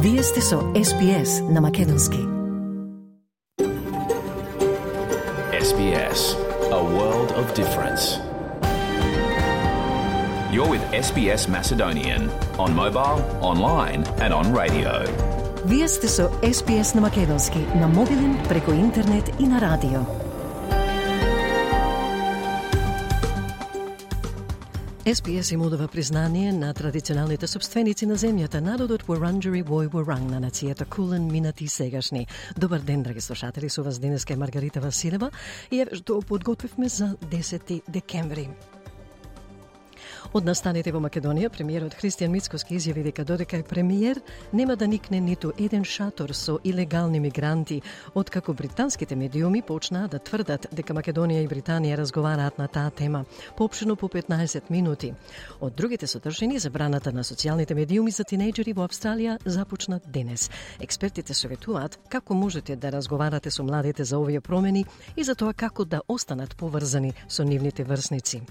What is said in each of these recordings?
Вие сте со SBS на Македонски. SBS, a world of difference. You're with SBS Macedonian on mobile, online and on radio. Вие сте со SBS на Македонски на мобилен, преку интернет и на радио. SBS им удава признание на традиционалните собственици на земјата, народот Wurundjeri Woi Wurrung на нацијата Кулен, минати и сегашни. Добар ден, драги слушатели, со вас денеска е Маргарита Василева и еве што подготвивме за 10 декември. Од настаните во Македонија, премиерот Христијан Мицкоски изјави дека додека е премиер, нема да никне ниту еден шатор со илегални мигранти, откако британските медиуми почнаа да тврдат дека Македонија и Британија разговараат на таа тема, поопштено по 15 минути. Од другите содржини, забраната на социјалните медиуми за тинејџери во Австралија започна денес. Експертите советуваат како можете да разговарате со младите за овие промени и за тоа како да останат поврзани со нивните врсници.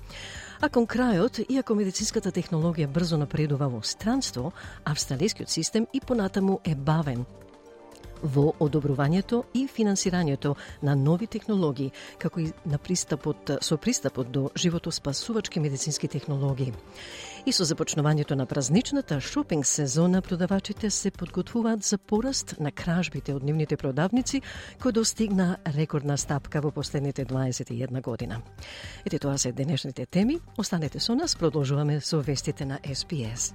А кон крајот, иако медицинската технологија брзо напредува во странство, австралискиот систем и понатаму е бавен во одобрувањето и финансирањето на нови технологии, како и на пристапот до животоспасувачки медицински технологии. И со започнувањето на празничната шопинг сезона, продавачите се подготвуваат за пораст на кражбите од нивните продавници, кој достигна рекордна стапка во последните 21 година. Ете, тоа се денешните теми. Останете со нас, продолжуваме со вестите на SBS.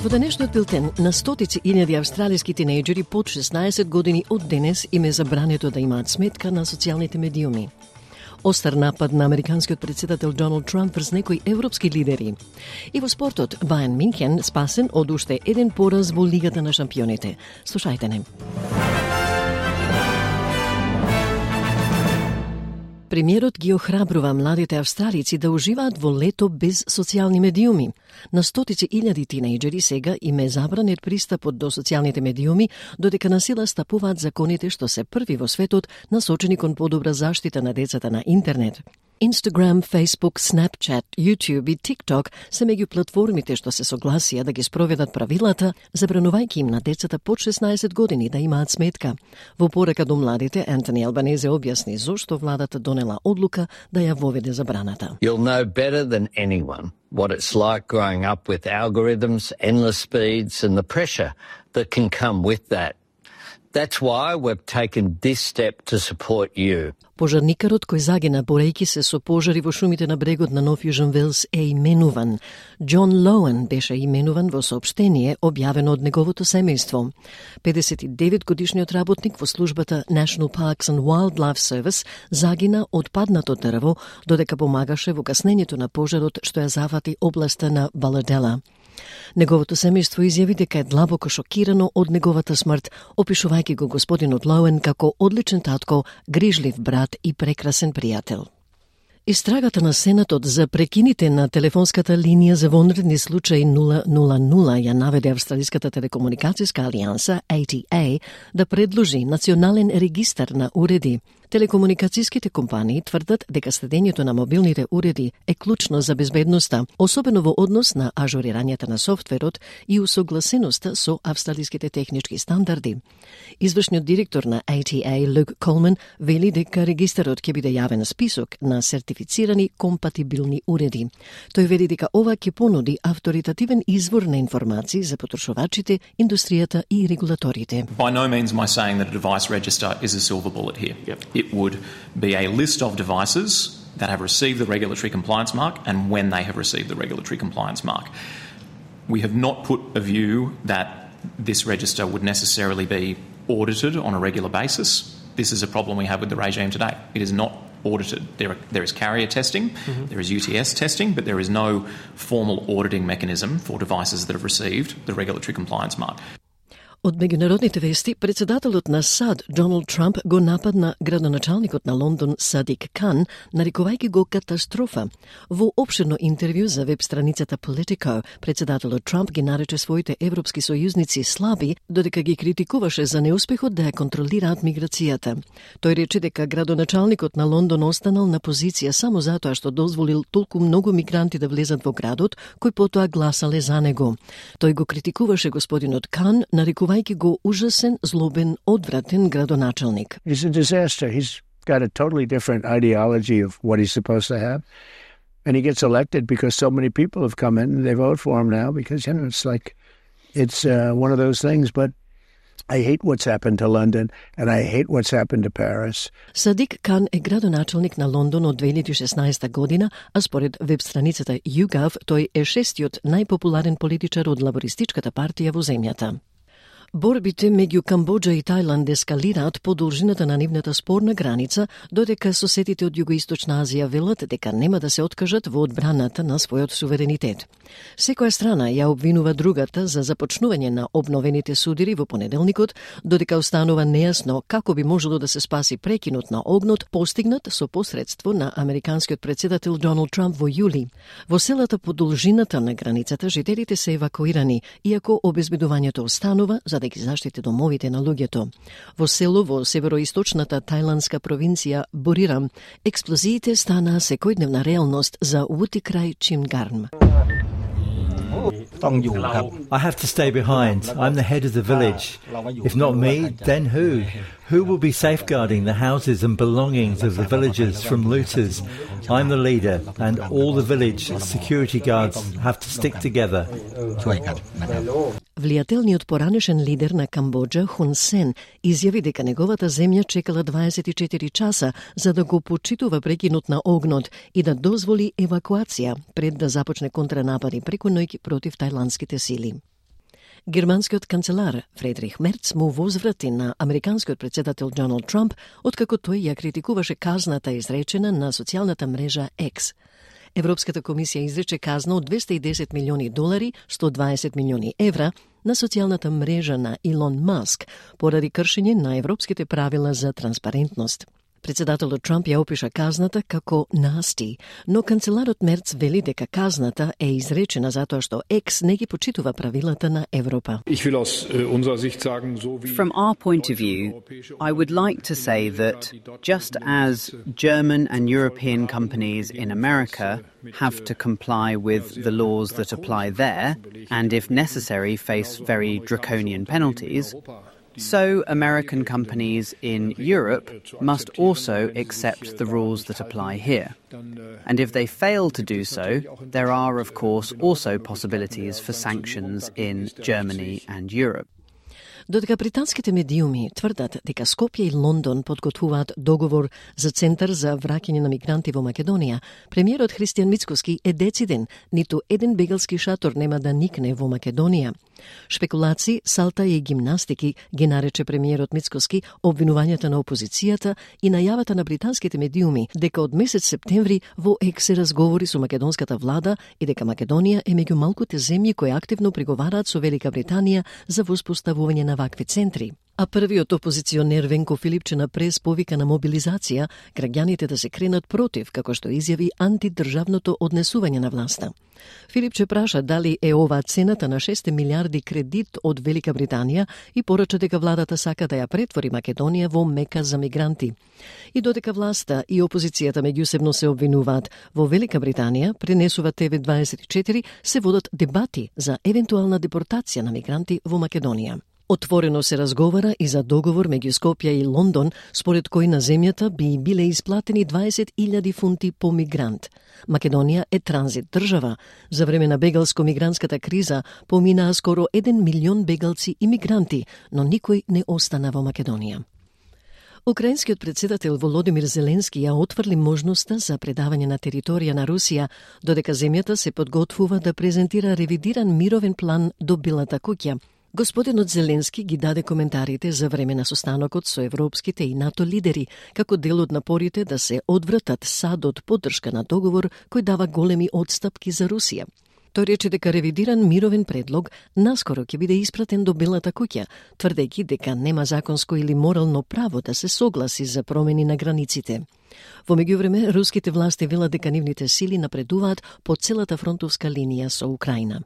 Во денешниот билтен, на стотици илјади австралиски тинејџери под 16 години од денес им е забрането да имаат сметка на социјалните медиуми. Остар напад на американскиот председател Доналд Трамп врз некои европски лидери. И во спортот, Бајерн Мюнхен спасен од уште еден пораз во Лигата на шампионите. Слушајте не. Премиерот ги охрабрува младите австралици да уживаат во лето без социјални медиуми. На стотици илјади тинејџери сега им е забранет пристапот до социјалните медиуми, додека на сила стапуваат законите што се први во светот насочени кон подобра заштита на децата на интернет. Instagram, Facebook, Snapchat, YouTube и TikTok се меѓу платформите што се согласија да ги спроведат правилата, забранувајќи им на децата под 16 години да имаат сметка. Во порака до младите, Антони Албанезе објасни зошто владата донела одлука да ја воведе забраната. You'll know better than anyone what it's like growing up with algorithms, endless speeds and the pressure that can come with that. That's why we've taken this step to support you. Пожарникарот кој загина борејќи се со пожари во шумите на брегот на Нов Јужен Велс е именуван. Џон Лоуен беше именуван во соопштение објавено од неговото семејство. 59-годишниот работник во службата National Parks and Wildlife Service загина од паднато дрво додека помагаше во каснењето на пожарот што ја зафати областа на Баладела. Неговото семејство изјави дека е длабоко шокирано од неговата смрт, опишувајќи го господинот Лоуен како одличен татко, грижлив брат и прекрасен пријател. Истрагата на Сенатот за прекините на телефонската линија за вонредни случаи 000 ја наведе Австралиската телекомуникацијска алијанса, ATA, да предложи национален регистар на уреди. Телекомуникацијските компании тврдат дека следењето на мобилните уреди е клучно за безбедноста, особено во однос на ажурирањето на софтверот и усогласеноста со австралиските технички стандарди. Извршниот директор на ATA, Люк Колман, вели дека регистарот ќе биде јавен список на сертифицирани компатибилни уреди. Тој вели дека ова ќе понуди авторитативен извор на информации за потрошувачите, индустријата и регулаторите. By no means am I saying that a device register is a silver bullet here. It would be a list of devices that have received the regulatory compliance mark and when they have received the regulatory compliance mark. We have not put a view that this register would necessarily be audited on a regular basis. This is a problem we have with the regime today. It is not audited. There is carrier testing, there is UTS testing, but there is no formal auditing mechanism for devices that have received the regulatory compliance mark. Од меѓународните вести, председателот на САД, Доналд Трамп, го нападна градоначалникот на Лондон, Садик Кан, нарекувајќи го катастрофа. Во опширно интервју за веб-страницата Politico, председателот Трамп ги нарече своите европски сојузници слаби, додека ги критикуваше за неуспехот да ја контролираат миграцијата. Тој рече дека градоначалникот на Лондон останал на позиција само затоа што дозволил толку многу мигранти да влезат во градот, кои потоа гласале за него. Тој го критикуваше господинот Кан, нарекувајќи го ужасен, злобен, одвратен градоначалник. He's a disaster. He's got a totally different ideology of what he's supposed to have. And he gets elected because so many people have come in and they vote for him now because, it's one of those things. But I hate what's happened to London and I hate what's happened to Paris. Садик Кан е градоначалник на Лондон од 2016 година, а според веб-страницата YouGov, тој е шестиот најпопуларен политичар од лабористичката партија во земјата. Борбите меѓу Камбоџа и Тајланд ескалираат по должината на нивната спорна граница, додека соседите од Југоисточна Азија велат дека нема да се откажат во одбраната на својот суверенитет. Секоја страна ја обвинува другата за започнување на обновените судири во понеделникот, додека останува нејасно како би можело да се спаси прекинот на огнот постигнат со посредство на американскиот председател Доналд Трамп во јули. Во селата по должината на границата жителите се евакуирани, иако обезбедувањето останува за да ги заштити домовите на луѓето. Во село во североисточната тајландска провинција Бурирам, експлозиите станаа секојдневна реалност за Вутикрај Чимгарм. I have to stay behind. I'm the head of the village. If not me, then who? Who will be safeguarding the houses and belongings of the villagers from looters? I'm the leader, and all the village security guards have to stick together. Влијателниот поранешен лидер на Камбоџа, Хун Сен, изјави дека неговата земја чекала 24 часа за да го почитува прекинот на огнот и да дозволи евакуација пред да започне контранапади преку ноќ против тајландските сили. Германскиот канцелар Фредрих Мерц му возврати на американскиот председател Доналд Трамп, откако тој ја критикуваше казната изречена на социјалната мрежа X. Европската комисија изрече казна од $210 милиони, 120 милиони евра на социјалната мрежа на Илон Маск поради кршење на европските правила за транспарентност. Председателот Трамп ја опиша казната како насти, но канцеларот Мерц вели дека казната е изречена затоа што Екс не ги почитува правилата на Европа. From our point of view, I would like to say that just as German and European companies in America have to comply with the laws that apply there, and if necessary face very draconian penalties, so American companies in Europe must also accept the rules that apply here. And if they fail to do so, there are, of course, also possibilities for sanctions in Germany and Europe. Додека британските медиуми тврдат дека Скопје и Лондон подготвуваат договор за центар за враќање на мигранти во Македонија, премиерот Христијан Мицкоски е дециден, ниту еден бегалски шатор нема да никне во Македонија. Шпекулации, салта и гимнастики ги нарече премиерот Мицкоски обвинувањата на опозицијата и најавата на британските медиуми дека од месец септември во ЕК се разговори со македонската влада и дека Македонија е меѓу малкуте земји кои активно преговараат со Велика Британија за воспоставување на вакви центри. А првиот опозиционер Венко Филипче на прес повика на мобилизација, граѓаните да се кренат против, како што изјави антидржавното однесување на власта. Филипче праша дали е ова цената на 6 милиарди кредит од Велика Британија и порача дека владата сака да ја претвори Македонија во мека за мигранти. И додека власта и опозицијата меѓусебно се обвинуваат, во Велика Британија, пренесува ТВ24, се водат дебати за евентуална депортација на мигранти во Македонија. Отворено се разговара и за договор меѓу Скопје и Лондон, според кој на земјата би биле исплатени 20.000 фунти по мигрант. Македонија е транзит држава. За време на бегалско-мигрантската криза поминаа скоро 1 милион бегалци и мигранти, но никој не остана во Македонија. Украинскиот председател Володимир Зеленски ја отврли можноста за предавање на територија на Русија, додека земјата се подготвува да презентира ревидиран мировен план до Белата куќа. Господинот Зеленски ги даде коментарите за време на состанокот со европските и НАТО лидери, како дел од напорите да се одвратат САД од поддршка на договор кој дава големи одстапки за Русија. Тој рече дека ревидиран мировен предлог наскоро ќе биде испратен до Белата куќа, тврдејќи дека нема законско или морално право да се согласи за промени на границите. Во меѓувреме, руските власти велат дека нивните сили напредуваат по целата фронтовска линија со Украина.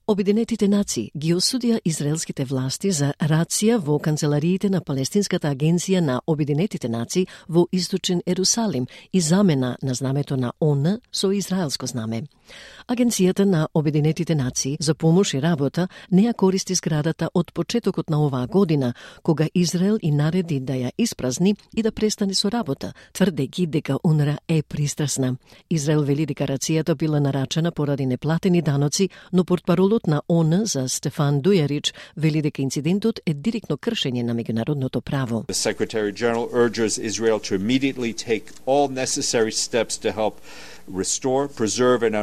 Обединетите нации ги осудија израелските власти за рација во канцелариите на Палестинската агенција на Обединетите нации во Источен Ерусалим и замена на знамето на ООН со израелско знаме. Агенцијата на Обединетите нации за помош и работа не ја користи зградата од почетокот на оваа година, кога Израел и нареди да ја испразни и да престане со работа, тврдејќи дека УНРВА е пристрасна. Израел вели дека рацијата била нарачена поради неплатени даноци, но портпаролот на ООН за Стефан Дујарич вели дека инцидентот е директно кршење на меѓународното право. The Secretary General urges Israel to immediately take all necessary steps to help restore, preserve and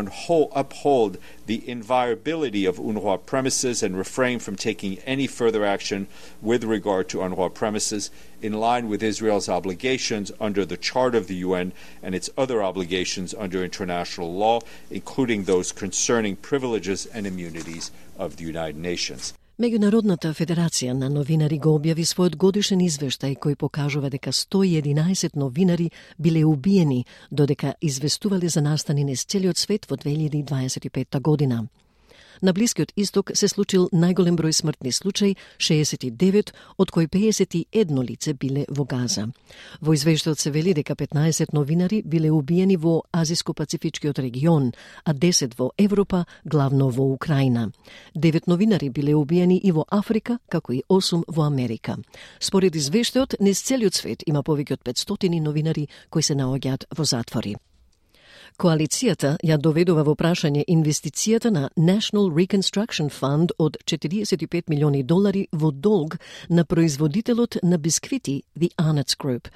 uphold the inviolability of UNRWA premises and refrain from taking any further action with regard to UNRWA premises in line with Israel's obligations under the Charter of the UN and its other obligations under international law, including those concerning privileges and immunities of the United Nations. Меѓународната федерација на новинари го објави својот годишен извештај кој покажува дека 111 новинари биле убиени, додека известувале за настани низ целиот свет во 2025 година. На Блискиот Исток се случил најголем број смртни случаи, 69, од кои 51 лице биле во Газа. Во извештајот се вели дека 15 новинари биле убиени во Азиско-Пацифичкиот регион, а 10 во Европа, главно во Украина. 9 новинари биле убиени и во Африка, како и 8 во Америка. Според извештајот, низ целиот свет има повеќе од 500 новинари кои се наоѓаат во затвори. Коалицијата ја доведува во прашање инвестицијата на National Reconstruction Fund од $45 милиони во долг на производителот на бисквити The Arnott's Group.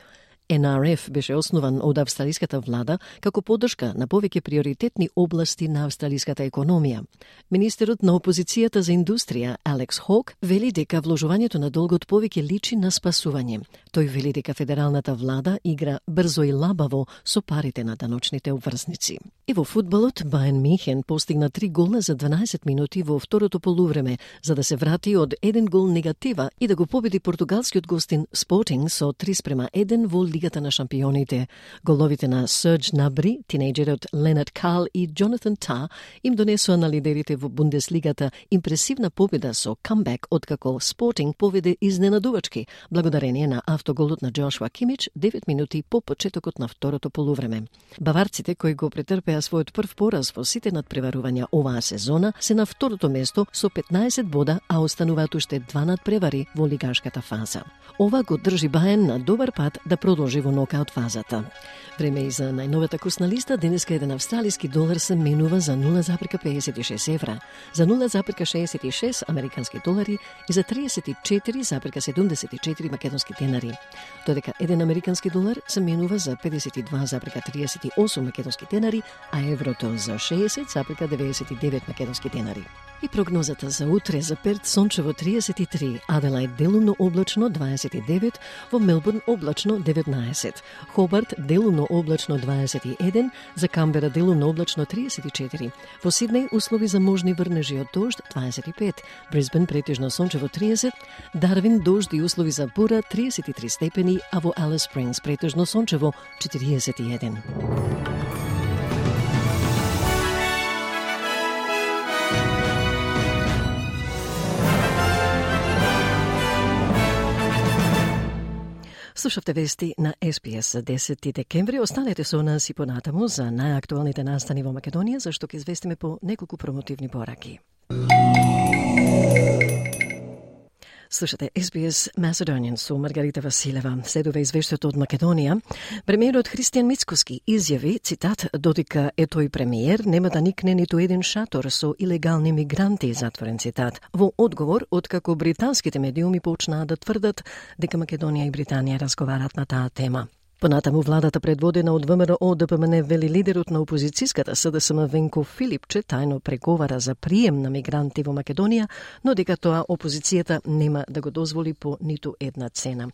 NRF беше основан од австралиската влада како поддршка на повеќе приоритетни области на австралиската економија. Министерот на опозицијата за индустрија, Алекс Хок, вели дека вложувањето на долгот повеќе личи на спасување. Тој вели дека федералната влада игра брзо и лабаво со парите на даночните обврзници. И во фудбалот, Бајерн Мюнхен постигна 3 гола за 12 минути во второто полувреме, за да се врати од 1 гол негатива и да го победи португалскиот гостин Sporting со 3:1 во Лигата на шампионите. Головите на Сердж Набри, тинејџерот Ленард Кал и Джонатан Та им донесоа на лидерите во Бундеслигата импресивна победа со камбек, откако Спортинг поведе изненадувачки, благодарение на автоголот на Джошуа Кимич 9 минути по почетокот на второто полувреме. Баварците, кои го претрпеа својот прв пораз во сите надпреварувања оваа сезона, се на второто место со 15 бода, а остануваат уште 2 надпревари во лигашката фаза. Ова го држи Бајерн на добар пат да продолжи во нокаут фазата. Време и за најновата курсна листа. Денеска еден австралиски долар се менува за 0,56 евра, за 0,66 американски долари и за 34,74 македонски денари. Додека еден американски долар се менува за 52,38 македонски денари, а еврото за 60,99 македонски денари. И прогнозата за утре: за Перт сончево 33, Аделајд делумно облачно 29, во Мелбурн облачно 19, Хобарт делумно облачно 21, за Камбера делумно облачно 34, во Сиднеј услови за можни врнежи од дожд 25, Брисбен претежно сончево 30, Дарвин дожд и услови за бура 33 степени, а во Алис Спрингс претежно сончево 41. Слушавте вести на СПС за 10 декември. Останете со нас и понатаму за најактуалните настани во Македонија, зашто ќе известиме по неколку промотивни пораки. Слушате SBS Macedonian со Маргарита Василева. Следува извештајот од Македонија. Премиерот Христијан Мицкоски изјави, цитат, додека е тој премиер, нема да никне ниту еден шатор со илегални мигранти, затворен цитат. Во одговор, откако британските медиуми почнаа да тврдат дека Македонија и Британија разговарат на таа тема. Понатаму владата предводена од ВМРО ДПМН вели лидерот на опозицијската СДСМ Венко Филипче тајно преговара за прием на мигранти во Македонија, но дека тоа опозицијата нема да го дозволи по ниту една цена.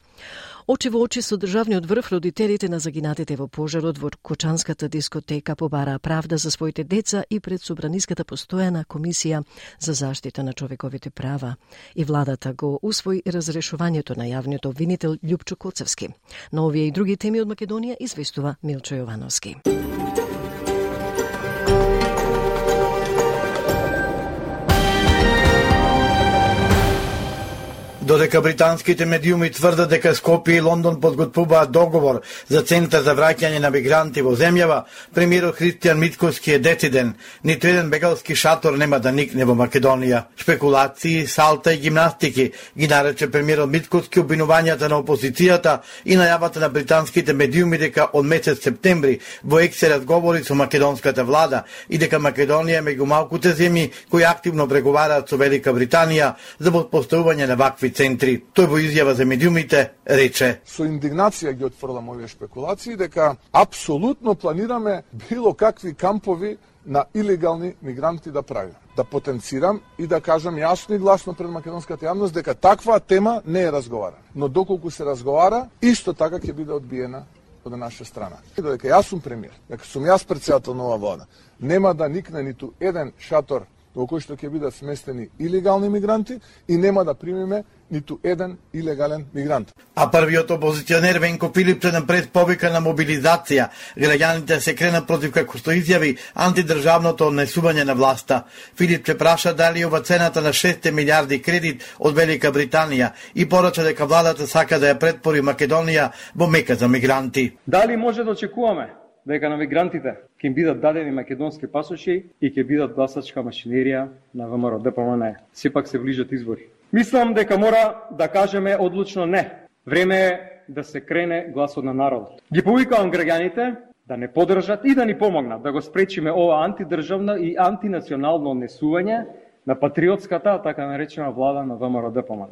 Очи во очи со државниот врв, родителите на загинатите во пожарот во Кочанската дискотека побараа правда за своите деца и пред Собраниската постојана комисија за заштита на човековите права. И владата го усвои разрешувањето на јавниот обвинител Љупчо Коцевски. На овие и други теми од Македонија известува Милчо Јовановски. Додека британските медиуми тврдат дека Скопје и Лондон подготвуваат договор за центар за враќање на мигранти во земјава, премиерот Христијан Мицкоски е дециден. Ниту еден бегалски шатор нема да никне во Македонија. Шпекулации, салта и гимнастики ги нарече премиерот Мицкоски обвинувањата на опозицијата и најавата на британските медиуми дека од месец септември во ЕК се разговори со македонската влада и дека Македонија е меѓу малкуте земји кои активно преговараат со Велика Британија за поставување на вакви центри. Тој во изјава за медиумите рече: Со индигнација ги отфрлам овие шпекулации дека апсолутно планираме било какви кампови на илегални мигранти да правиме. Да потенцирам и да кажам јасно и гласно пред македонската јавност дека таква тема не е разговарана. Но доколку се разговара, исто така ќе биде одбиена од наша страна. И додека јас сум премиер, дека сум јас претседател на оваа влада, нема да никне ниту еден шатор во кој што ќе бидат сместени илегални мигранти и нема да примиме ниту еден илегален мигрант. А првиот опозиционер Венко Филипче на пред повика на мобилизација. Граѓаните се кренат против, како што изјави, антидржавното однесување на власта. Филипче праша дали ова цената на 6 милиарди кредит од Велика Британија и порача дека владата сака да ја претпори Македонија во мека за мигранти. Дали може да очекуваме дека на мигрантите ќе им бидат дадени македонски пасоши и ќе бидат гласачка машинерија на ВМРО ДПМН? Сепак се ближат избори. Мислам дека мора да кажеме одлучно не. Време е да се крене гласот на народот. Ги повикавам граѓаните да не подржат и да ни помогнат да го спречиме ова антидржавно и антинационално однесување на патриотската, така наречена влада на ВМРО ДПМН.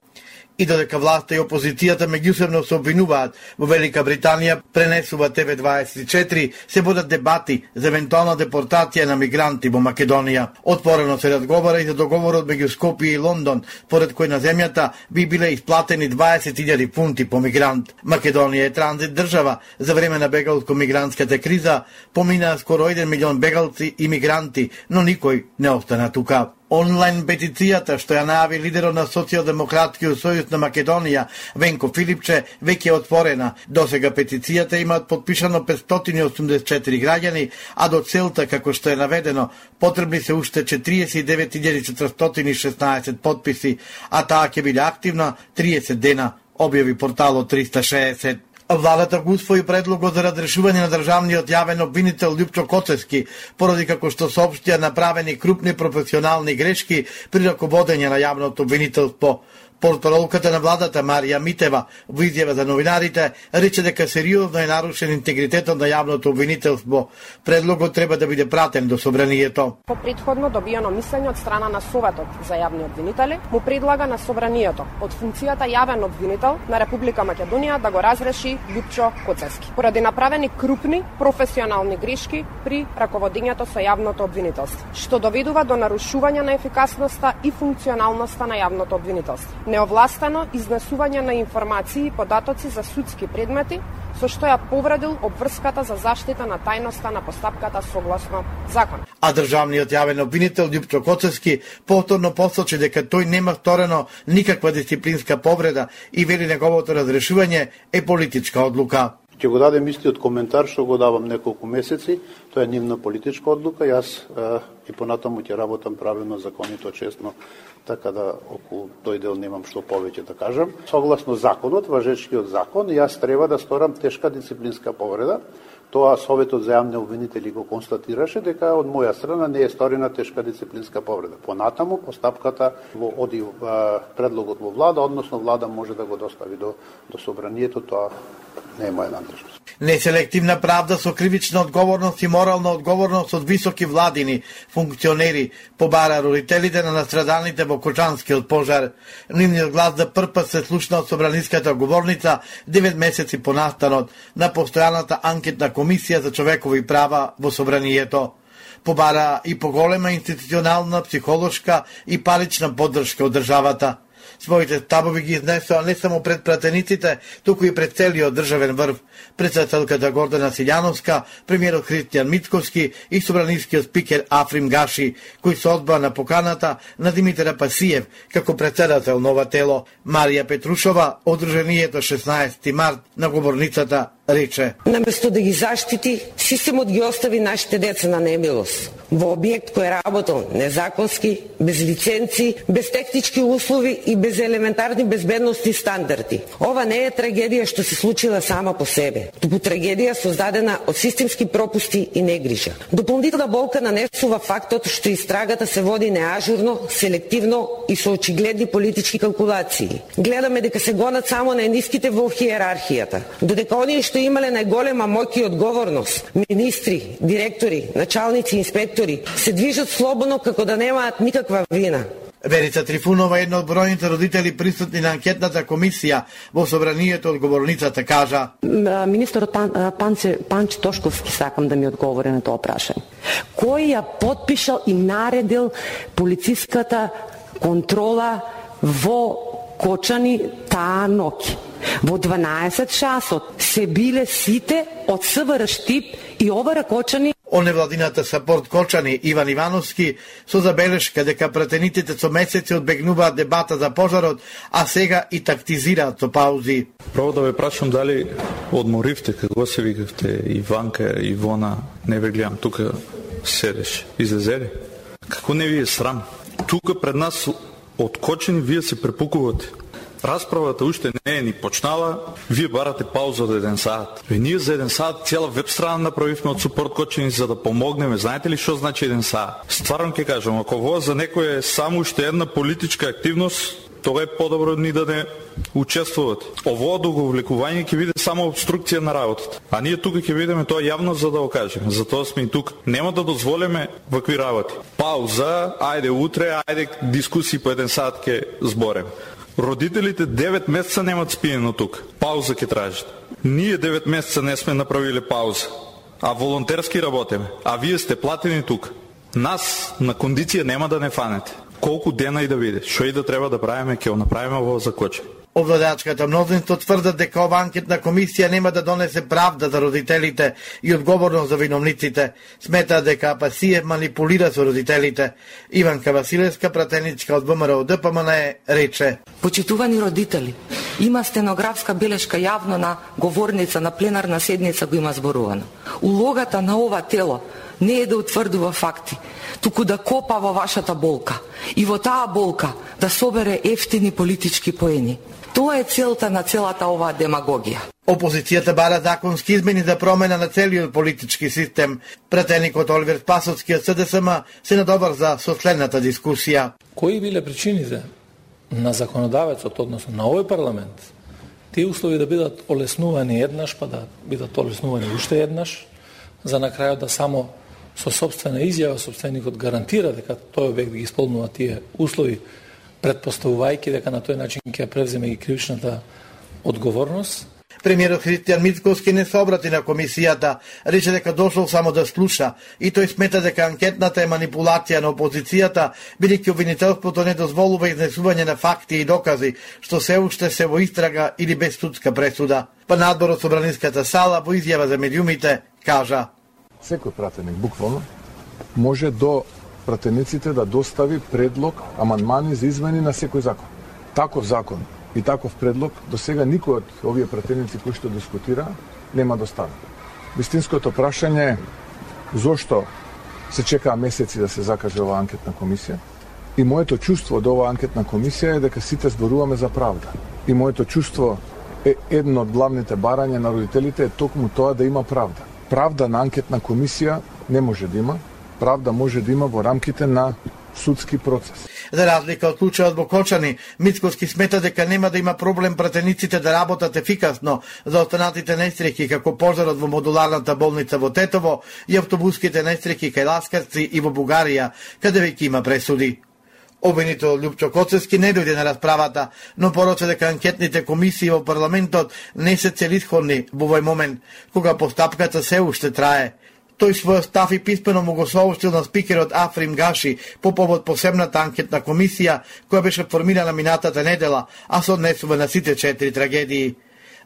И додека власта и опозицијата меѓусебно се обвинуваат, во Велика Британија пренесува ТВ24, се водат дебати за евентуална депортација на мигранти во Македонија. Отворено се разговара и за договорот меѓу Скопје и Лондон, поред кој на земјата би биле исплатени 20.000 фунти по мигрант. Македонија е транзит држава за време на бегалско-мигрантската криза, поминаа скоро 1 милион бегалци и мигранти, но никој не остана тука. Онлайн петицијата што ја најави лидерот на Социјалдемократскиот сојуз на Македонија, Венко Филипче, веќе е отворена. Досега петицијата имаат подпишано 584 граѓани, а до целта, како што е наведено, потребни се уште 49.416 подписи, а таа ќе биде активна 30 дена, објави порталот 360. Владата го усвои предлогот за разрешување на државниот јавен обвинител Љупчо Коцевски, поради како што соопштија направени крупни професионални грешки при раководење на јавното обвинителство. Портparolката на владата Марија Митева во изјава за новинарите рече дека сериозно е нарушен интегритетот на јавното обвинителство. Предлогот треба да биде пратен до Собранието. По претходно добиено мислење од страна на Советот за јавни обвинители, му предлага на Собранието од функцијата јавен обвинител на Република Македонија да го разреши Љупчо Коцевски, поради направени крупни професионални грешки при раководењето со јавното обвинителство, што доведува до нарушување на ефикасноста и функционалноста на јавното обвинителство. Неовластено изнесување на информации и податоци за судски предмети, со што ја повредил обврската за заштита на тајноста на постапката согласно закон. А државниот јавен обвинител Љупчо Коцевски повторно посочи дека тој нема сторено никаква дисциплинска повреда и вели неговото разрешување е политичка одлука. Ќе го дадем истиот коментар што го давам неколку месеци, тоа е нивна политичка одлука, јас и понатаму ќе работам правилно, законито, честно, така да околу тој дел немам што повеќе да кажам. Согласно законот, важечкиот закон, јас треба да сторам тешка дисциплинска повреда, Тоа Советот за јавни обвинители го констатираше дека од моја страна не е сторена тешка дисциплинска повреда. Понатаму постапката оди предлогот во влада, односно влада може да го достави до собранието, тоа не е моја надлежност. Неселективна правда со кривична одговорност и морална одговорност од високи владини функционери побара родителите на настрадалните во Кочанскиот пожар. Нивниот глас за прв пат се слушна од собраниската говорница 9 месеци по настанот на постојаната анкетна комисија за човекови права во собранието. Побара и поголема институционална, психолошка и парична поддршка од државата. Своите ставови ги изнесоа не само пред пратениците, туку и пред целиот државен врв. Председателката Гордана Силјановска, премиерот Христијан Мицковски и собранискиот спикер Африм Гаши, кои се одбаа на поканата на Димитар Апасиев како председател на ова тело. Марија Петрушова, одржанието 16 март на говорницата, рече: наместо да ги заштити, системот ги остави нашите деца на немилост во објект кој работел незаконски, без лиценци, без технички услови и без елементарни безбедностни стандарди. Ова не е трагедија што се случила сама по себе, туку трагедија создадена од системски пропусти и негрижа. Дополнителна болка нанесува фактот што истрагата се води неажурно, селективно и со очигледни политички калкулации. Гледаме дека се гонат само најниските во хиерархијата, додека оние што имале најголема моќ и одговорност, министри, директори, началници, инспектори, се движат слободно како да немаат никаква вина. Верица Трифунова, една од бројните родители присутни на анкетната комисија во собранието, одговорницата кажа: Министерот Панче Тошковски сакам да ми одговори на тоа прашање. Кој ја потпишал и наредил полициската контрола во Кочани таа ноќ? Во 12 часот се биле сите од СВР Штип и ОВР Кочани. Оневладината сапорт Кочани Иван Ивановски со забелешка дека пратениците со месеци одбегнуваат дебата за пожарот, а сега и тактизираат со паузи. Право да ве прашам дали одморивте, како се викавте, Иванка, Ивона, не ве гледам, тука седеш, излезели? Како не ви е срам? Тука пред нас од Кочани вие се препукувате. Расправата уште не е ни почнала, вие барате пауза од 1 сат. Ние за 1 сат цела веб страна направивме од Супорт Кочани за да помогнеме. Знаете ли што значи 1 сат? Стварно ќе кажам, ако ова за некој е само уште една политичка активност, тоа е подобро ни да не учествувате. Ово одговлекување ќе биде само обструкција на работата. А ние тука ќе видиме тоа јавно за да го кажеме. Затоа сме и тука. Нема да дозволиме вакви работи. Пауза, ајде утре, ајде дискусии по 1 сат ќе збореме. Родителите 9 месеца немат спиено тук. Пауза ќе тражат. Ние 9 месеца не сме направиле пауза, а волонтерски работиме. А вие сте платени тук. Нас на кондиција нема да не фанете. Колку дена и да биде, што и да треба да правиме, ќе го направиме во закоче. Овладачката мнозинство тврдат дека ова анкетна комисија нема да донесе правда за родителите и одговорност за виновниците. Сметаат дека Апасиев манипулира со родителите. Иванка Василевска, пратеничка од ВМРО ДПМН, рече: Почитувани родители, има стенографска белешка јавно на говорница на пленарна седница го има зборувано. Улогата на ова тело не е да утврдува факти, туку да копа во вашата болка и во таа болка да собере ефтини политички поени. Тоа е целта на целата оваа демагогија. Опозицијата бара законски измени за промена на целиот политички систем. Пратеникот Оливер Спасовски од СДСМ се надоврза со следната дискусија. Кои биле причините на законодавецот, односно на овој парламент, тие услови да бидат олеснувани еднаш, па да бидат олеснувани уште еднаш, за на крајот да само со собствена изјава собственикот гарантира дека тој објект ги исполнува тие услови, предпоставувајќи дека на тој начин ќе превземе и кривичната одговорност. Премиерот Христијан Мицковски не се обрати на комисијата, рече дека дошол само да слуша и тој смета дека анкетната е манипулација на опозицијата, бидејќи обвинителството не дозволува изнесување на факти и докази, што се уште се во истрага или без судска пресуда. Па надборот собраниската сала во изјава за медиумите кажа: Секој пратеник буквално може до пратениците да достави предлог, амандмани за измени на секој закон. Таков закон и таков предлог до сега никој од овие пратеници кои што дискутира нема достави. Вистинското прашање е зошто се чекаа месеци да се закаже оваа анкетна комисија и моето чувство до оваа анкетна комисија е дека сите зборуваме за правда. И моето чувство е едно од главните барања на родителите е токму тоа да има правда. правда на анкетна комисија не може да има. Правда може да има во рамките на судски процес. За разлика од случајот во Кочани, Мицкоски смета дека нема да има проблем пратениците да работат ефикасно за останатите несреќи како пожарот во модуларната болница во Тетово и автобуските несреќи кај Ласкарци и во Бугарија, каде веќе има пресуди. Обвинител Љупчо Коцевски не дојде на расправата, но порача дека анкетните комисии во парламентот не се целисходни во овој момент, кога постапката се уште трае. Тој својот став и писмено му го соопштил на спикерот Африм Гаши по повод посебната анкетна комисија која беше формирана минатата недела, а се однесува на сите 4 трагедии.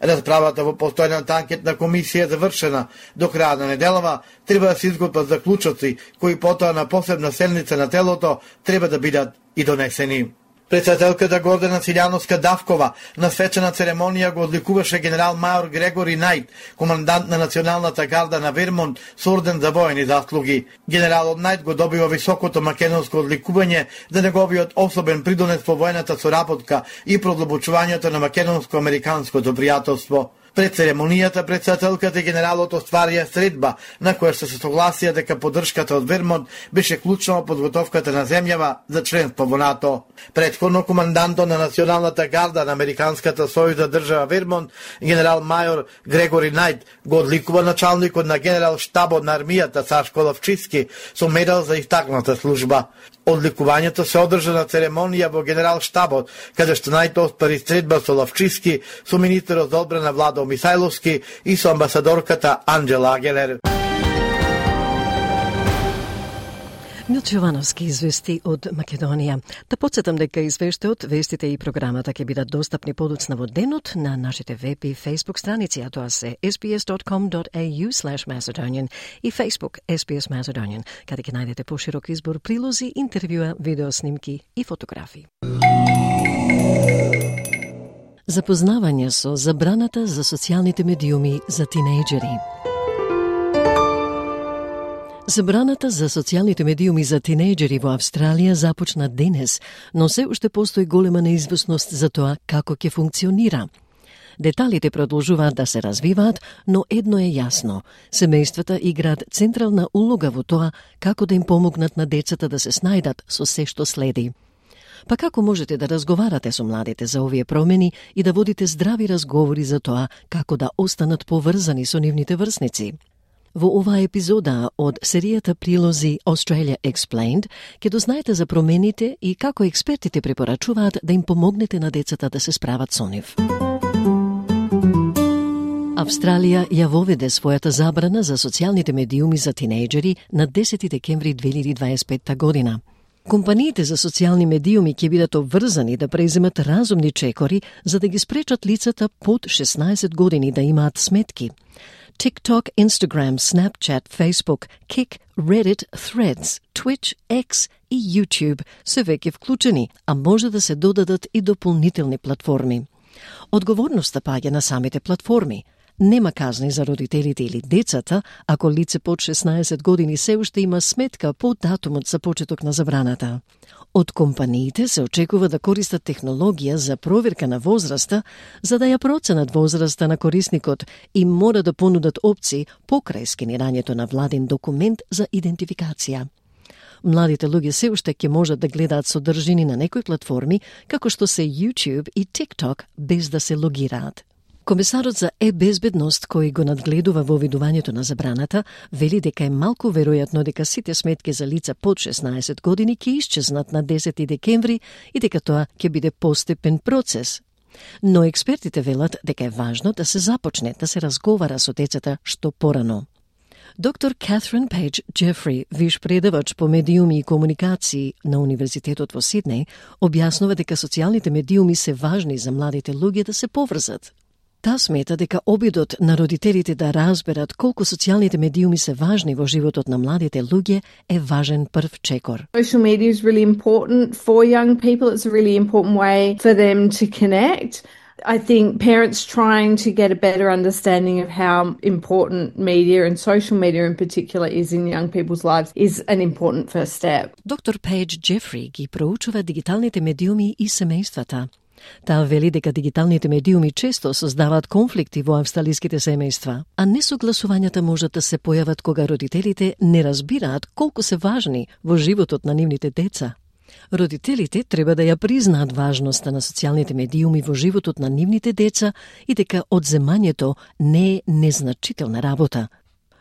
Расправата во постојната анкетна комисија е завршена. До краја на неделава треба да се изготват заклучоци кои потоа на посебна седница на телото треба да бидат и донесени. Председателката Гордана Силјановска-Давкова на свечена церемонија го одликуваше генерал мајор Грегори Најт, командант на Националната гарда на Вермонт со орден за воени заслуги. Генералот Најт го добива високото македонско одликување за неговиот особен придонес во воената соработка и продлабочувањето на македонско-американското пријателство. Пред церемонијата председателката и генералот остварија средба на која се согласија дека поддршката од Вермонт беше клучна во подготовката на земјава за членство во НАТО. Претходно командантот на Националната гарда на Американската сојузна држава Вермонт, генерал мајор Грегори Најт, го одликува началникот на генерал штабот на армијата Сашко Лавчиски со медал за истакната служба. Одликувањето се одржа на церемонија во генерал штабот, каде што Најт оспари средба со Лавчиски, со министерот за одбрана Владо Мисајловски и со амбасадорката Анџела Агелер. Милчо Јовановски извести од Македонија. Да подсетам дека извештајот, вестите и програмата ќе бидат достапни подоцна во денот на нашите веб и Facebook страници, а тоа се sbs.com.au/Macedonian и Facebook SBS Macedonian, каде ќе најдете поширок избор прилози, интервјуа, видеоснимки и фотографии. Запознавање со забраната за социјалните медиуми за тинејџери. Забраната за социјалните медиуми за тинејџери во Австралија започна денес, но се уште постои голема неизвестност за тоа како ќе функционира. Деталите продолжуваат да се развиваат, но едно е јасно. Семејствата играат централна улога во тоа како да им помогнат на децата да се снајдат со се што следи. Па како можете да разговарате со младите за овие промени и да водите здрави разговори за тоа како да останат поврзани со нивните врсници? Во оваа епизода од серијата прилози Australia Explained ќе дознаете за промените и како експертите препорачуваат да им помогнете на децата да се справат со нив. Австралија ја воведе својата забрана за социјалните медиуми за тинејџери на 10 декември 2025 година. Компаниите за социјални медиуми ќе бидат обврзани да преземат разумни чекори за да ги спречат лицата под 16 години да имаат сметки. TikTok, Instagram, Snapchat, Facebook, Kik, Reddit, Threads, Twitch, X и YouTube се веќе вклучени, а може да се додадат и дополнителни платформи. Одговорноста паѓа на самите платформи. Нема казни за родителите или децата ако лице под 16 години се уште има сметка по датумот за почеток на забраната. Од компаниите се очекува да користат технологија за проверка на возраста, за да ја проценат возраста на корисникот и мора да понудат опции покрај скенирањето на владин документ за идентификација. Младите луѓе се уште ќе можат да гледаат содржини на некои платформи, како што се YouTube и TikTok, без да се логираат. Комесарот за безбедност кој го надгледува во видувањето на забраната, вели дека е малку веројатно дека сите сметки за лица под 16 години ќе исчезнат на 10 декември и дека тоа ќе биде постепен процес. Но експертите велат дека е важно да се започне да се разговара со децата што порано. Доктор Catherine Page Jeffrey, виш предавач по медиуми и комуникации на Универзитетот во Сиднеј, објаснува дека социјалните медиуми се важни за младите луѓе да се поврзат. Та смета дека обидот на родителите да разберат колку социјалните медиуми се важни во животот на младите луѓе е важен прв чекор. Social media is really important for young people. It's a really important way for them to connect. I think parents trying to get a better understanding of how important media and social media in particular is in young people's lives is an important first step. Доктор Пейдж Джефри ги проучува дигиталните медиуми и семејствата. Таа вели дека дигиталните медиуми често создаваат конфликти во австралиските семејства, а несогласувањата можат да се појават кога родителите не разбираат колку се важни во животот на нивните деца. Родителите треба да ја признаат важноста на социјалните медиуми во животот на нивните деца и дека одземањето не е незначителна работа.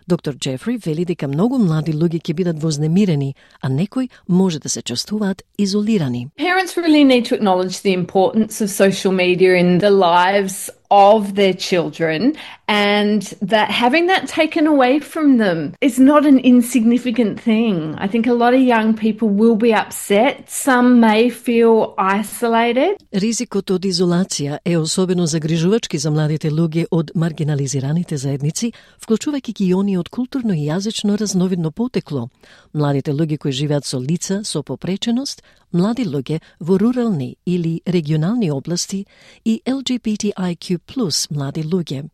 Доктор Джефри вели дека многу млади луѓе ќе бидат вознемирени, а некои може да се чувствуваат изолирани. Parents really need to acknowledge the importance of social media in the lives of their children, and that having that taken away from them is not an insignificant thing. I think a lot of young people will be upset. Some may feel isolated. Ризикот од изолација е особено загрижувачки за младите луѓе од маргинализираните заедници, вклучувајќи ги они од културно и јазично разновидно потекло, младите луѓе кои живеат со лица со попреченост, млади луѓе во рурални или регионални области и LGBTIQ+ млади луѓе.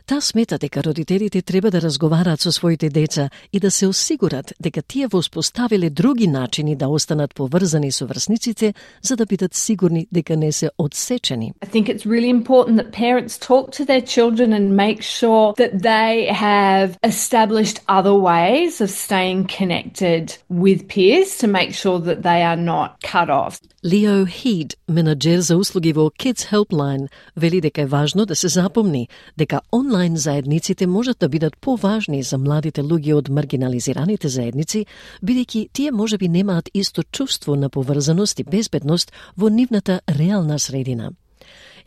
Таа смета дека родителите треба да разговараат со своите деца и да се осигурат дека тие воспоставиле други начини да останат поврзани со врсниците за да бидат сигурни дека не се одсечени. I think it's really important that parents talk to their children and make sure that they have established other ways of staying connected with peers to make sure that they are not cut off. Leo Heed, менаџер за услуги во Kids Helpline, вели дека е важно да се запомни дека онлайн заедниците можат да бидат поважни за младите луѓе од маргинализираните заедници, бидејќи тие можеби немаат исто чувство на поврзаност и безбедност во нивната реална средина.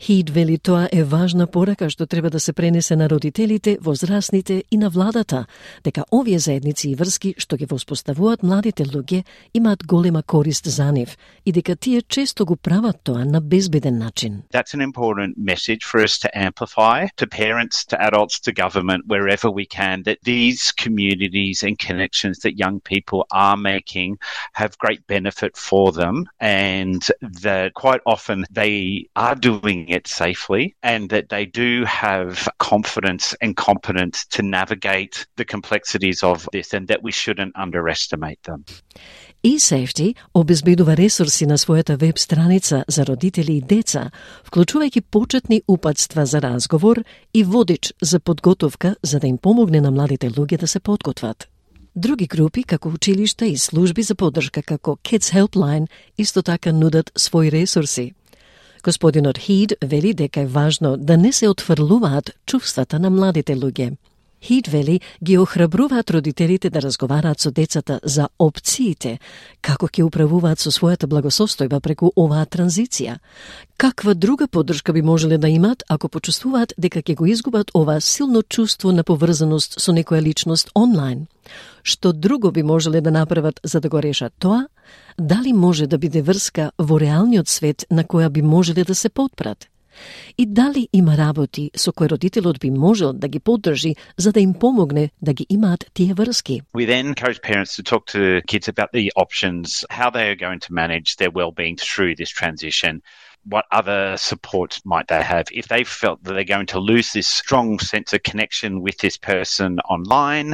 Хид вели тоа е важна порака што треба да се пренесе на родителите, возрастните и на владата, дека овие заедници и врски што ги воспоставуваат младите луѓе имаат голема корист за нив и дека тие често го прават тоа на безбеден начин. That's an important message for us to amplify to parents, to adults, to government, wherever we can, that these communities and connections that young people are making have great benefit for them, and that quite often they are doing it safely, and that they do have confidence and competence to navigate the complexities of this, and that we shouldn't underestimate them. eSafety обезбедува ресурси на својата веб страница за родители и деца, вклучувајќи почетни упатства за разговор и водич за подготовка за да им помогне на младите луѓе да се подготват. Други групи, како училишта и служби за поддршка како Kids Helpline, исто така нудат своји ресурси. Господинот Хид вели дека е важно да не се отфрлуваат чувствата на младите луѓе. Хид вели ги охрабруваат родителите да разговараат со децата за опциите, како ќе управуваат со својата благосостојба преку оваа транзиција. Каква друга поддршка би можеле да имаат ако почувствуваат дека ќе го изгубат ова силно чувство на поврзаност со некоја личност онлайн? Што друго би можеле да направат за да го решат тоа? Дали може да биде врска во реалниот свет на која би можеле да се потпрат? И дали има работи со кои родителот би можел да ги поддржи за да им помогне да ги имаат тие врски? We then encourage parents to talk to kids about the options, how they are going to manage their well-being through this transition. What other support might they have if they felt that they're going to lose this strong sense of connection with this person online?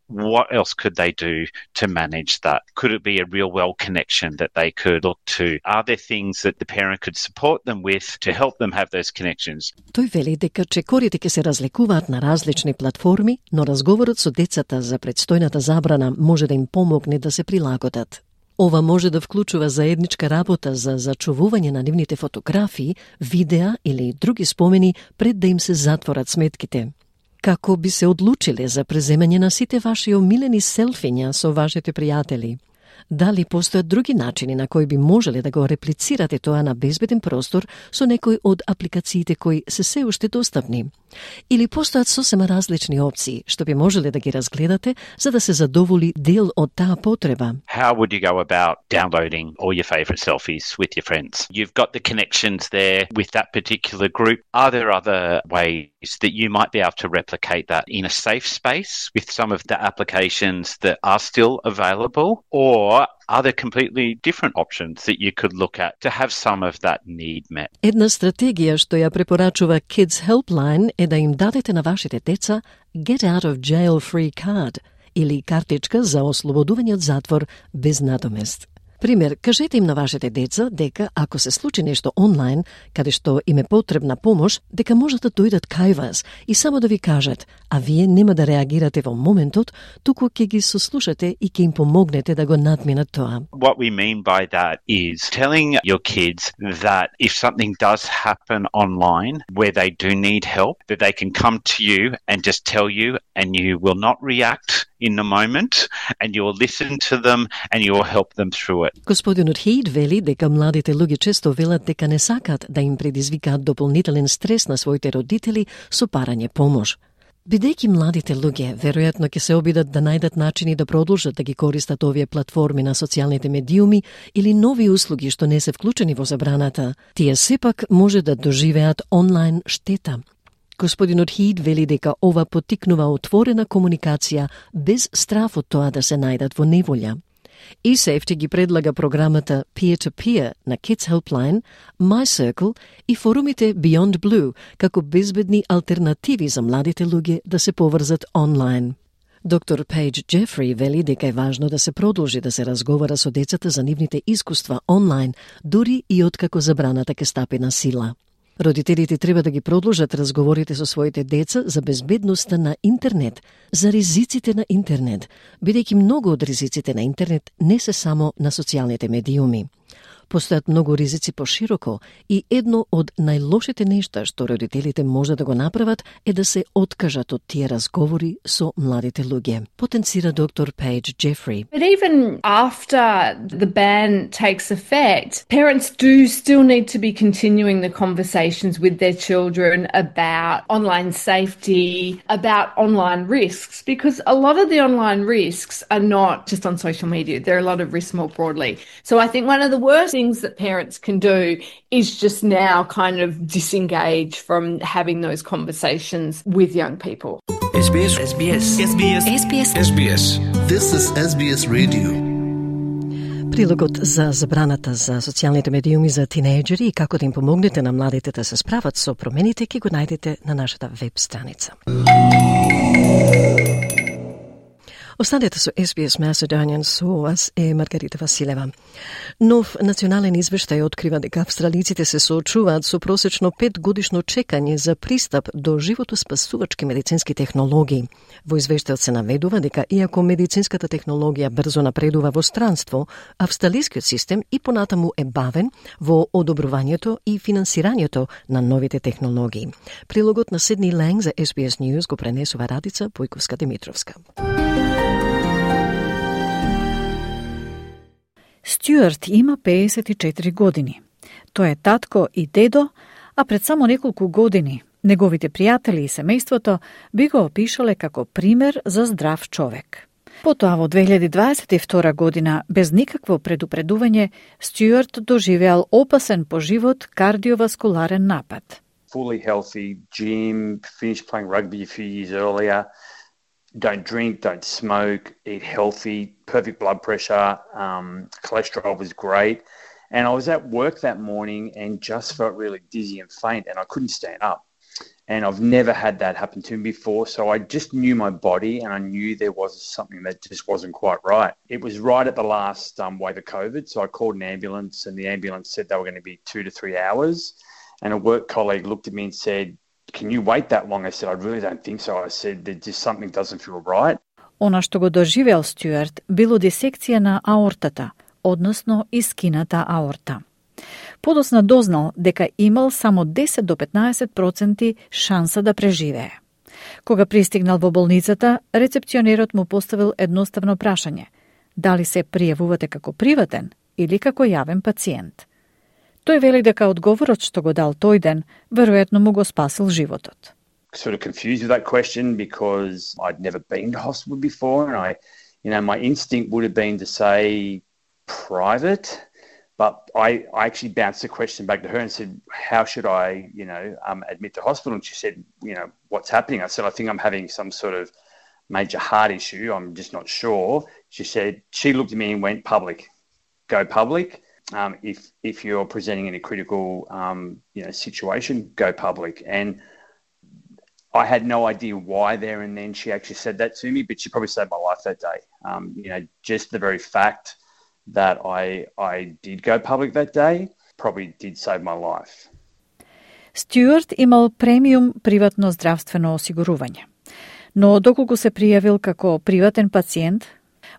What else could they do to manage that? Could it be a real well connection that they could look to? Are there things that the parent could support them with to help them have those connections? Тој вели дека чекорите ќе се разликуваат на различни платформи, но разговорот со децата за предстојната забрана може да им помогне да се прилагодат. Ова може да вклучува заедничка работа за зачувување на нивните фотографии, видеа или други спомени пред да им се затворат сметките. Како би се одлучиле за преземање на сите ваши омилени селфиња со вашите пријатели? Дали постојат други начини на кои би можеле да го реплицирате тоа на безбеден простор со некој од апликациите кои се уште достапни? Или постојат сосема различни опции што би можеле да ги разгледате за да се задоволи дел од таа потреба? How would you go about downloading all your favourite selfies with your friends? You've got the connections there with that particular group. Are there other ways that you might be able to replicate that in a safe space with some of the applications that are still available? Or are there completely different options that you could look at to have some of that need met? Една стратегија што ја препорачува Kids Helpline е да им дадете на вашите деца Get Out of Jail Free Card или картичка за ослободување од затвор без надомест. Пример, кажете им на вашите деца дека ако се случи нешто онлайн, каде што им е потребна помош, дека можат да дојдат кај вас и само да ви кажат, а вие нема да реагирате во моментот, туку ќе ги сослушате и ќе им помогнете да го надминат тоа. What we mean by that is telling your kids that if something does happen online where they do need help, that they can come to you and just tell you, and you will not react in the moment, and you will listen to them and you will help them through it. Господинот Хейд вели дека младите луѓе често велат дека не сакат да им предизвикаат дополнителен стрес на своите родители со парање помош. Бидејќи младите луѓе веројатно ќе се обидат да најдат начини да продолжат да ги користат овие платформи на социјалните медиуми или нови услуги што не се вклучени во забраната, тие сепак може да доживеат онлайн штета. Господинот Хейд вели дека ова поттикнува отворена комуникација без страф од тоа да се најдат во неволја. eSafety ги предлага програмата Peer-to-Peer на Kids Helpline, MyCircle и форумите Beyond Blue како безбедни алтернативи за младите луѓе да се поврзат онлайн. Доктор Пейдж Джефри вели дека е важно да се продолжи да се разговара со децата за нивните искуства онлайн, дури и откако забраната ќе стапи на сила. Родителите треба да ги продолжат разговорите со своите деца за безбедноста на интернет, за ризиците на интернет, бидејќи многу од ризиците на интернет не се само на социјалните медиуми. Постојат многу ризици пошироко и едно од најлошите нешта што родителите може да го направат е да се откажат од тие разговори со младите луѓе, потенцира доктор Пейдж Джефри. But even after the ban takes effect, parents do still need to be continuing the conversations with their children about online safety, about online risks, because a lot of the online risks are not just on social media. There are a lot of risks more broadly. So I think one of the worst things that parents can do is just now kind of disengage from having those conversations with young people. SBS. This is SBS Radio. Прилогот за забраната за социјалните медиуми за тинејџери и како да им помогнете на младите да се справат со промените ќе го најдете на нашата веб страница. Останете со SBS Macedonian, со вас е Маргарита Василева. Нов национален извештај открива дека австралиците се соочуваат со просечно 5 годишно чекање за пристап до животоспасувачки медицински технологии. Во извештајот се наведува дека иако медицинската технологија брзо напредува во странство, австралискиот систем и понатаму е бавен во одобрувањето и финансирањето на новите технологии. Прилогот на Сидни Ланг за SBS News го пренесува Радица Појковска-Димитровска. Стюарт има 54 години. Тој е татко и дедо, а пред само неколку години неговите пријатели и семејството би го опишале како пример за здрав човек. Потоа во 2022 година, без никакво предупредување, Стюарт доживеал опасен по живот кардиоваскуларен напад. Fully healthy, gym, finished playing rugby a few years earlier. Don't drink, don't smoke, eat healthy, perfect blood pressure, cholesterol was great. And I was at work that morning and just felt really dizzy and faint and I couldn't stand up. And I've never had that happen to me before, so I just knew my body and I knew there was something that just wasn't quite right. It was right at the last wave of COVID, so I called an ambulance and the ambulance said they were going to be 2 to 3 hours. And a work colleague looked at me and said, "Can you wait that long?" I said, "I really don't think so." I said, "There just something doesn't feel right." Она што го доживеал Стюарт било дисекција на аортата, односно искината аорта. Подосна дознал дека имал само 10 до 15% шанса да преживее. Кога пристигнал во болницата, рецепционерот му поставил едноставно прашање: дали се пријавувате како приватен или како јавен пациент? Тој вели дека одговорот што го дал тој ден веројатно му го спасил животот. Sort of confused with that question because I'd never been to hospital before, and my instinct would have been to say private, but I actually bounced the question back to her and said, "How should I, admit to hospital?" And she said, "What's happening?" I said, "I think I'm having some sort of major heart issue. I'm just not sure." She looked at me and went, "Public, go public. If you're presenting in a critical, situation, go public." And I had no idea why there and then she actually said that to me, but she probably saved my life that day. Just the very fact that I did go public that day probably did save my life. Стюарт имал премиум приватно здравствено осигурување. Но доколку се пријавил како приватен пациент,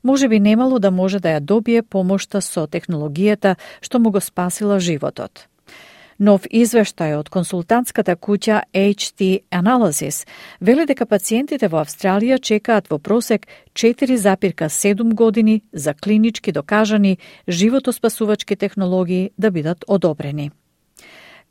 може би немало да може да ја добие помошта со технологијата што му го спасила животот. Нов извештај од консултантската куќа HT Analysis вели дека пациентите во Австралија чекаат во просек 4,7 години за клинички докажани животоспасувачки технологии да бидат одобрени.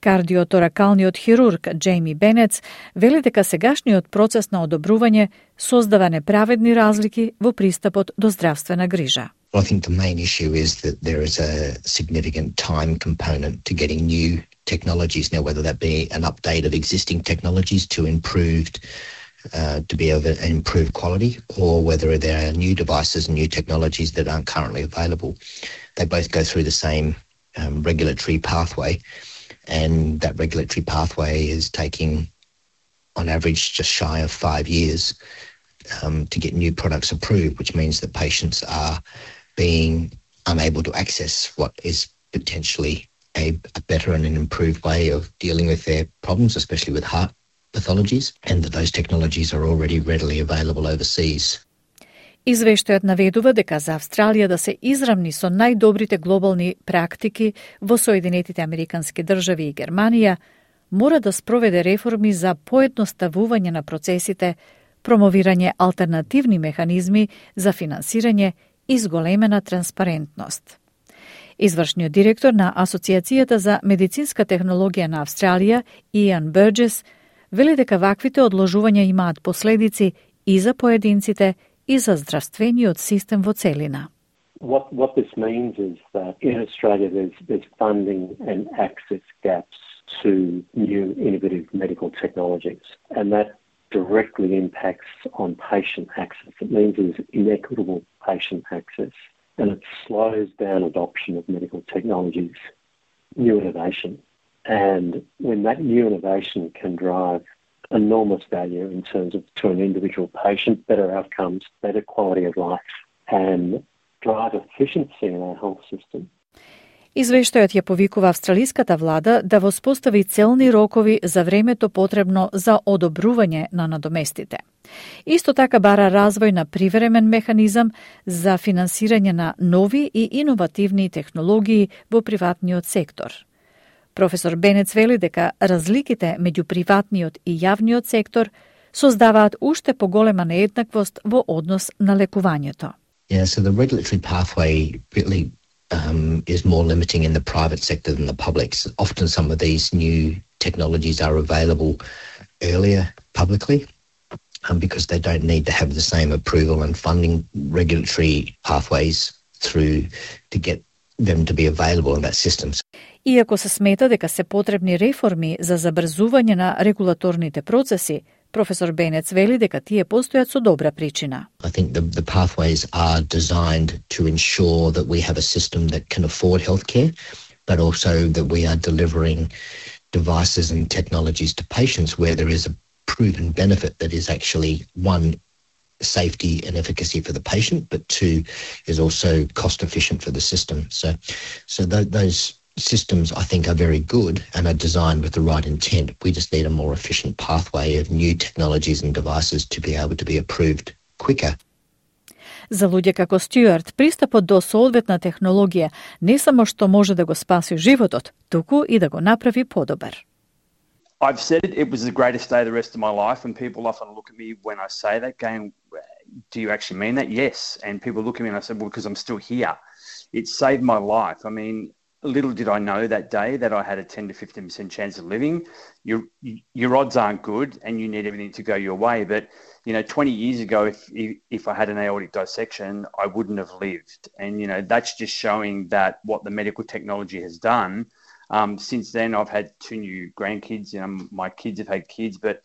Кардиоторакалниот хирург Джейми Бенец вели дека сегашниот процес на одобрување создава неправедни разлики во пристапот до здравствена грижа. I think the main issue is that there is a significant time component to getting new technologies. Now, whether that be an update of existing technologies to to be of an improved quality, or whether there are new devices and new technologies that aren't currently available. They both go through the same regulatory pathway, and that regulatory pathway is taking, on average, just shy of 5 years to get new products approved, which means that patients are being unable to access what is potentially a better and an improved way of dealing with their problems, especially with heart pathologies, and that those technologies are already readily available overseas. Извештајот наведува дека за Австралија да се израмни со најдобрите глобални практики во Соединетите Американски држави и Германија, мора да спроведе реформи за поедноставување на процесите, промовирање алтернативни механизми за финансирање и зголемена транспарентност. Извршниот директор на Асоциацијата за медицинска технологија на Австралија, Иан Бурджес, вели дека ваквите одложувања имаат последици и за поединците и за здравствениот систем во целина. What this means is that in Australia there's funding and access gaps to new innovative medical technologies, and that directly impacts on patient access. It means there's inequitable patient access, and it slows down adoption of medical technologies, new innovation. And when that new innovation can drive enormous value in terms of to an individual patient, better outcomes, better quality of life, and drive efficiency in our health system. Извештајот ја повикува австралиската влада да воспостави целни рокови за времето потребно за одобрување на надоместите. Исто така бара развој на привремен механизам за финансирање на нови и иновативни технологии во приватниот сектор. Професор Бенец вели дека разликите меѓу приватниот и јавниот сектор создаваат уште поголема нееднаквост во однос на лекувањето. Yeah, so the regulatory pathway really is more limiting in the private sector than the public. So often some of these new technologies are available earlier publicly because they don't need to have the same approval and funding regulatory pathways through to get them to be available in that system. Иако се смета дека се потребни реформи за забрзување на регулаторните процеси, професор Бенец вели дека тие постојат со добра причина. I think the pathways are designed to ensure that we have a system that can afford healthcare, but also that we are delivering devices and technologies to patients where there is a proven benefit that is actually, one, safety and efficacy for the patient, but two, is also cost efficient for the system. So those systems, I think, are very good and are designed with the right intent. We just need a more efficient pathway of new technologies and devices to be able to be approved quicker. За луѓе како Стюарт, пристапот до соодветна технологија не само што може да го спаси животот, туку и да го направи подобар. I've said it was the greatest day of the rest of my life, and people often look at me when I say that, going, do you actually mean that? Yes. And people look at me and I say, well, because I'm still here. It saved my life. I mean, little did I know that day that I had a 10 to 15% chance of living. Your odds aren't good and you need everything to go your way. But, 20 years ago, if I had an aortic dissection, I wouldn't have lived. And, that's just showing that what the medical technology has done. Since then, I've had 2 new grandkids. My kids have had kids, but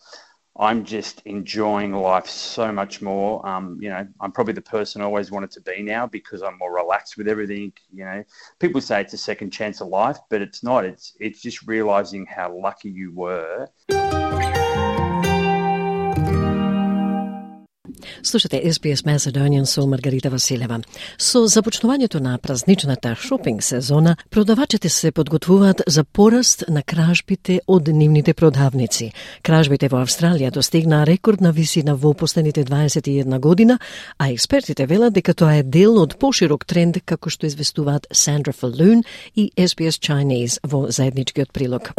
I'm just enjoying life so much more. I'm probably the person I always wanted to be now because I'm more relaxed with everything. People say it's a second chance of life, but it's not. It's just realizing how lucky you were. Слушате SBS Macedonian со Маргарита Василева. Со започнувањето на празничната шопинг сезона, продавачите се подготвуваат за пораст на кражбите од нивните продавници. Кражбите во Австралија достигнаа рекордна висина во последните 21 година, а експертите велат дека тоа е дел од поширок тренд, како што известуваат Сандра Фалун и SBS Chinese во заедничкиот прилог.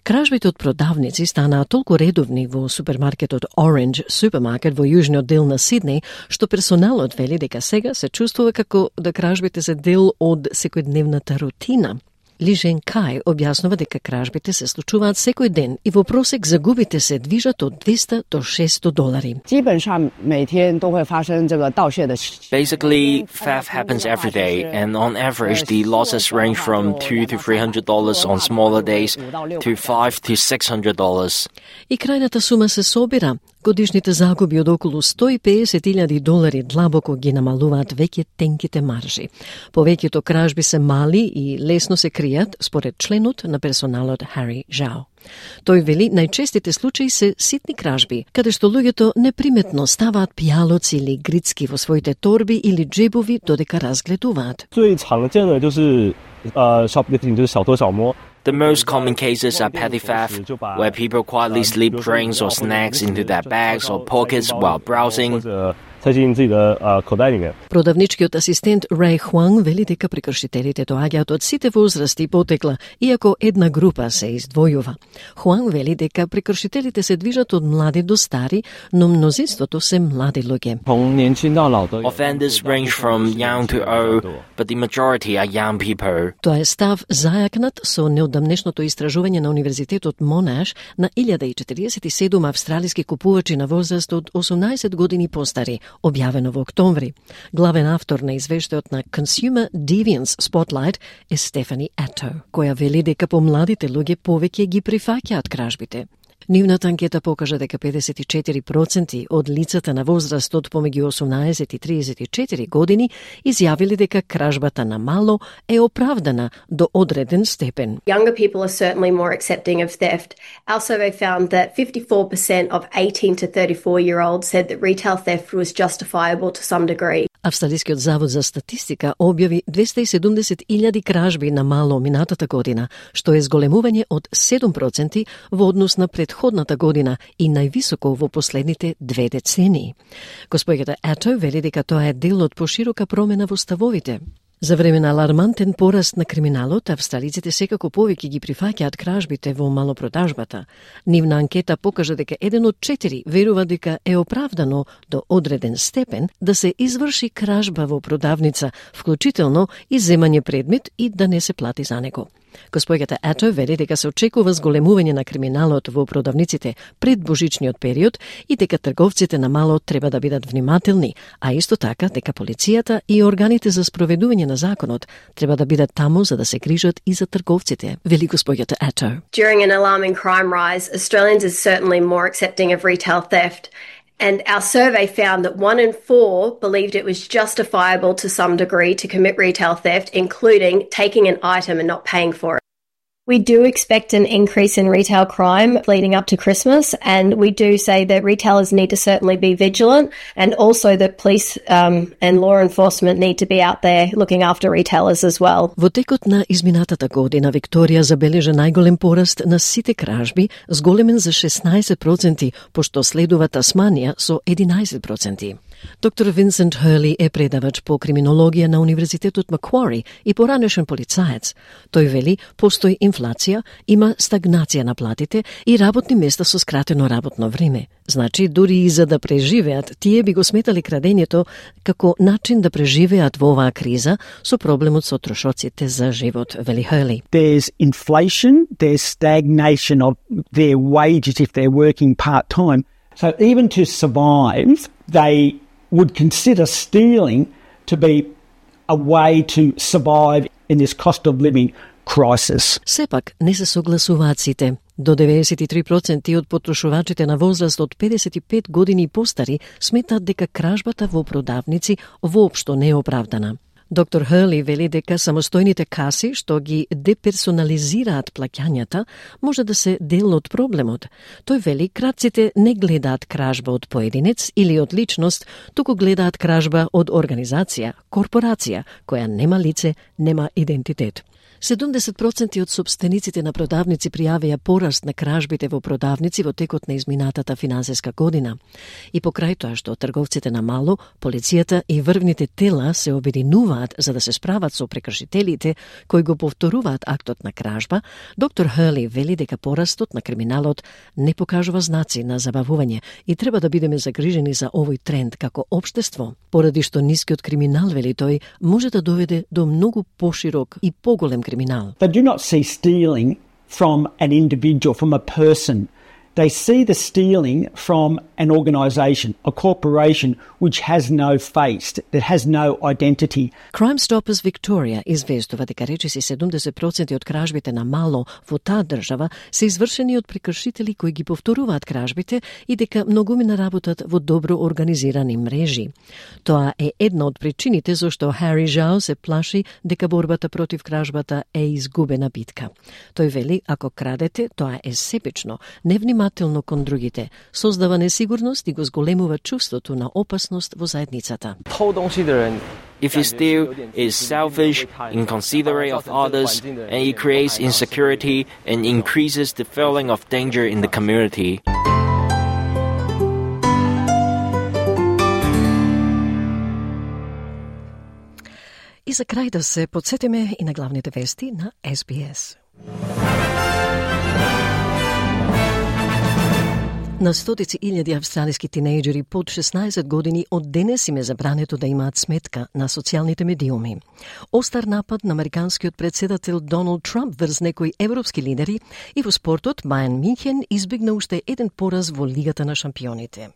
Кражбите од продавници станаа толку редовни во супермаркетот Orange Supermarket во јужниот дел на Сиднеј, што персоналот вели дека сега се чувствува како да кражбите се дел од секојдневната рутина. Ли Жен Кај објаснува дека кражбите се случуваат секој ден и во просек загубите се движат од $200 до $600. Basically, theft happens every day, and on average, the losses range from $200 to $300 on smaller days to $500 to $600. И крајната сума се собира. Годишните загуби од околу $150,000 длабоко ги намалуваат веќе тенките маржи. Повеќето кражби се мали и лесно се кријат, според членот на персоналот Хари Жао. Тој вели најчестите случаи се ситни кражби, каде што луѓето неприметно ставаат пијалоци или грицки во своите торби или джебови додека разгледуваат. The most common cases are petty theft, where people quietly slip drinks or snacks into their bags or pockets while browsing. Продавничкиот асистент Рей Хуанг вели дека прекршителите доаѓаат од сите возрасти и потекла, иако една група се издвојува. Хуанг вели дека прекршителите се движат од млади до стари, но мнозинството се млади луѓе. Offenders range from young to old, but the majority are young people. Тоа е став зајакнат со неодамнешното истражување на Универзитетот Монаш на 1047 австралиски купувачи на возраст од 18 години постари, објавено во октомври. Главен автор на извештајот на Consumer Deviance Spotlight е Стефани Ато, која вели дека помладите луѓе повеќе ги прифаќаат кражбите. Нивната анкета покажа дека 54% од лицата на возраст од помеѓу 18 и 34 години изјавили дека кражбата на мало е оправдана до одреден степен. Younger people are certainly more accepting of theft. Our survey found that 54% of 18 to 34-year-olds said that retail theft was justifiable to some degree. Австралискиот завод за статистика објави 270,000 кражби на мало минатата година, што е зголемување од 7% во однос на предходната година и највисоко во последните 2 децении. Господјата Ато вели дека тоа е дел од поширока промена во ставовите. За време на алармантен пораст на криминалот, австралиците секако повеќе ги прифаќаат кражбите во малопродажбата. Нивна анкета покажа дека 1 од 4 верува дека е оправдано до одреден степен да се изврши кражба во продавница, вклучително и земање предмет и да не се плати за него. Господјата Ато вели дека се очекува зголемување на криминалот во продавниците пред божичниот период и дека трговците на мало треба да бидат внимателни, а исто така дека полицијата и органите за спроведување на законот треба да бидат таму за да се грижат и за трговците, вели господјата Ато. During an alarming crime rise, Australians are certainly more accepting of retail theft. And our survey found that 1 in 4 believed it was justifiable to some degree to commit retail theft, including taking an item and not paying for it. We do expect an increase in retail crime leading up to Christmas, and we do say that retailers need to certainly be vigilant, and also that police and law enforcement need to be out there looking after retailers as well. Во текот на изминатата година Викторија забележа најголем пораст на сите кражби, зголемен за 16%, пошто следува Тасманија со 11%. Доктор Винсент Хърли е предавач по криминологија на Универзитетот Маквари и поранешен полицаец. Тој вели, постои инфлација, има стагнација на платите и работни места со скратено работно време. Значи, дури и за да преживеат, тие би го сметали крадењето како начин да преживеат во оваа криза со проблемот со трошоците за живот, вели Хърли. There's inflation, there's stagnation of their wages if they're working part-time. So even to survive, they would consider stealing to be a way to survive in this cost of living crisis. Сепак не се согласуваат сите. До 93% од потрошувачите на возраст од 55 години и постари сметаат дека кражбата во продавници воопшто не е оправдана. Доктор Хърли вели дека самостојните каси што ги деперсонализираат плаќањата може да се дел од проблемот. Тој вели кратците не гледаат кражба од поединец или од личност, туку гледаат кражба од организација, корпорација, која нема лице, нема идентитет. 70% од собствениците на продавници пријавија пораст на кражбите во продавници во текот на изминатата финансиска година. И покрај тоа што трговците на мало, полицијата и врвните тела се обединуваат за да се справат со прекршителите кои го повторуваат актот на кражба, доктор Хърли вели дека порастот на криминалот не покажува знаци на забавување и треба да бидеме загрижени за овој тренд како општество, поради што нискиот криминал, вели тој, може да доведе до многу поширок и поголем criminal. They do not see stealing from an individual, from a person. They see the stealing from an organisation, a corporation which has no face, that has no identity. Crime Stoppers Victoria известува дека речиси 70% од кражбите на мало во таа држава се извршени од прекршители кои ги повторуваат кражбите и дека многумина работат во добро организирани мрежи. Тоа е една од причините зашто Хари Жао се плаши дека борбата против кражбата е изгубена битка. Тој вели, ако крадете, тоа е себично, невнимателно кон другите, создава несигурност и го зголемува чувството на опасност во заедницата. If you steal, it's selfish, inconsiderate of others, and it creates insecurity and increases the feeling of danger in the community. И за крај да се подсетиме и на главните вести на SBS. На стотици илјади австралиски тинејџери под 16 години од денес им е забрането да имаат сметка на социјалните медиуми. Остар напад на американскиот председател Доналд Трамп врз некои европски лидери и во спортот Бајерн Мюнхен избегна уште еден пораз во Лигата на шампионите.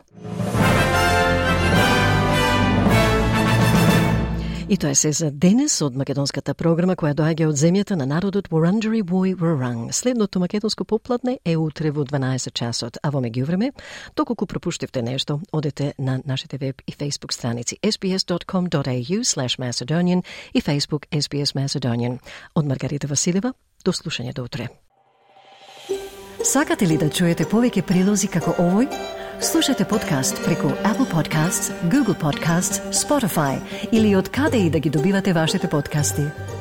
И тоа се за денес од македонската програма која доаѓа од земјата на народот Wurundjeri Woi Wurrung. Следното македонско попладне е утре во 12 часот, а во меѓувреме, доколку пропуштивте нешто, одете на нашите веб и Facebook страници sbs.com.au/Macedonian и Facebook SBS Macedonian. Од Маргарита Василева, до слушање до утре. Сакате ли да чуете повеќе прилози како овој? Слушате подкаст преку Apple Podcasts, Google Podcasts, Spotify или од каде и да ги добивате вашите подкасти.